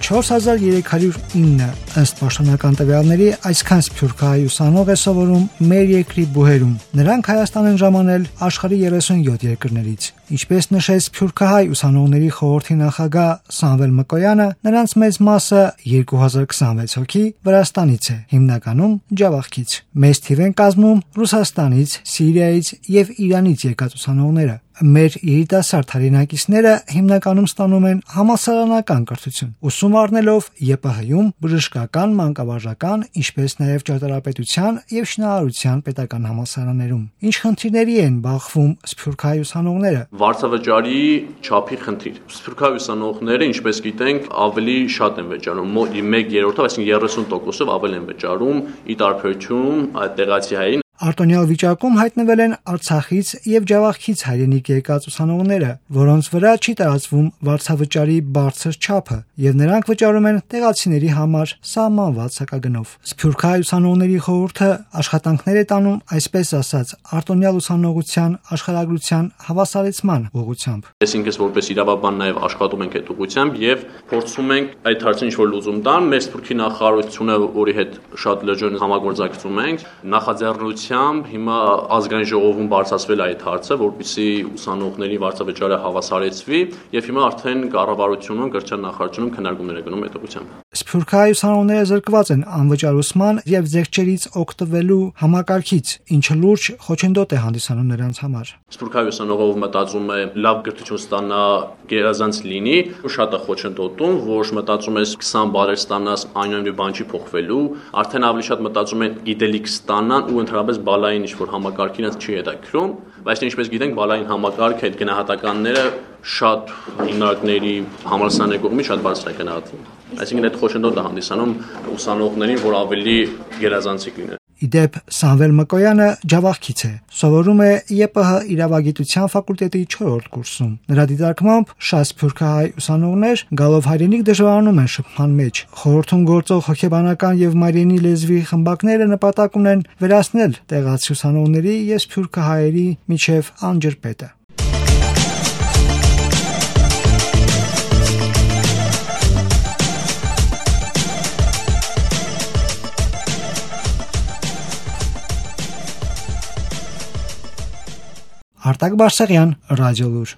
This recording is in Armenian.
4309 ըստ պաշտոնական տվյալների այսքան սփյուռքահայ ուսանող է սովորում մեր երկրի բուհերում։ Նրանք Հայաստան են ժամանել աշխարհի 37 երկրներից։ Ինչպես նշեց Սփյուռքահայ ուսանողների խորհրդի նախագահ Սամվել Մկոյանը, նրանց մեծ մասը 2026 հոգի Վրաստանից է, հիմնականում Ջավախքից։ Մեծ թիվ են կազմում Ռուսաստանից, Սիրիայից եւ Իրանից եկած ուսանողները։ Մեր երիտասարդ հայրենակիցները հիմնականում ստանում են համալսարանական կրթություն, ուսում առնելով ԵՊՀ-ում բժշկական, մանկավարժական, ինչպես նաև ճարտարապետության եւ շինարարության պետական համալսարաններում։ Ինչ խնդիրների են բախվում սփյուռքահայ ուսանողները։ Վարձավճարի չափի խնդիր։ Սփյուռքահայ ուսանողները, ինչպես գիտենք, ավելի շատ են վճարում, 1/3-ով, այսինքն 30%-ով ավելի են վճարում ի տարբերություն այդ տեղացի հայերին։ Արտոնյալ վիճակում հայտնվել են Արցախից եւ Ջավախքից հայրենիք եկած ուսանողները, որոնց վրա չի տարածվում վարձավճարի բարձր չափը, եւ նրանք վճարում են տեղացիների համար սահմանված հակագնով։ Սփյուռքահայ ուսանողների խորհուրդը աշխատանքներ է տանում, այսպես ասած, արտոնյալ ուսանողության աշխարհագրության հավասարեցման ուղղությամբ։ Այսինքն, որպես իրավաբան նաեւ աշխատում ենք այդ ուղղությամբ եւ փորձում ենք այդ հարցին ինչ-որ լուծում տալ։ Մեր Սփյուռքի նախարարությունը, որի հետ շատ լրջորեն համագործակցում ենք, նախաձեռնությամբ հիմա ազգային ժողովում բարձրացվել է այդ հարցը, որպեսզի ուսանողների վարձավճարը հավասարեցվի, եւ հիմա արդեն կառավարությունում, կրթության նախարարությունում քննարկումներ է գնում այդ ուղղությամբ։ Սփյուռքահայ ուսանողները զրկված են անվճարուսման եւ զեղչերից օգտվելու համակարգից, ինչը լուրջ խոչընդոտ է հանդիսանում նրանց համար։ Սփյուռքահայ ուսանողը մտածում է լավ կրթություն ստանա, գերազանց լինի, շատ է խոչընդոտում, որ մտածում ես 20 բարեր ստանաս, այնուամենայնիվ բան չի փոխվելու, արդեն ավելի շատ մտածում են գիտելիք ստանան ու ընդհանրապես բալային ինչ-որ համակարգին չի հետաքրում, բայց ինչպես գիտենք, բալային համակարգը այդ գնահատականները շատ հիմնարկների համալսարանների կողմից շատ բարձր է գնահատվում։ Այսինքն այդ խոչընդոտը հանդիսանում ուսանողներին, որ ավելի գերազանցիկ լինեն։ Իդեպ Սամվել Մկոյանը Ջավախքից է, սովորում է ԵՊՀ իրավագիտության ֆակուլտետի 4-րդ կուրսում։ Նրա դիտարկմամբ շատ սփյուռքահայ ուսանողներ գալով հայրենիք դժվարանում են շփման մեջ։ Խորհրդում գործող հոգեբանական եւ մայրենի լեզվի խմբակները նպատակ ունեն վերացնել տեղացի ուսանողների եւ սփյուռքահայերի միջև անջրպետը։ Արտակ Բարսեղյան, Ռադիոլուր։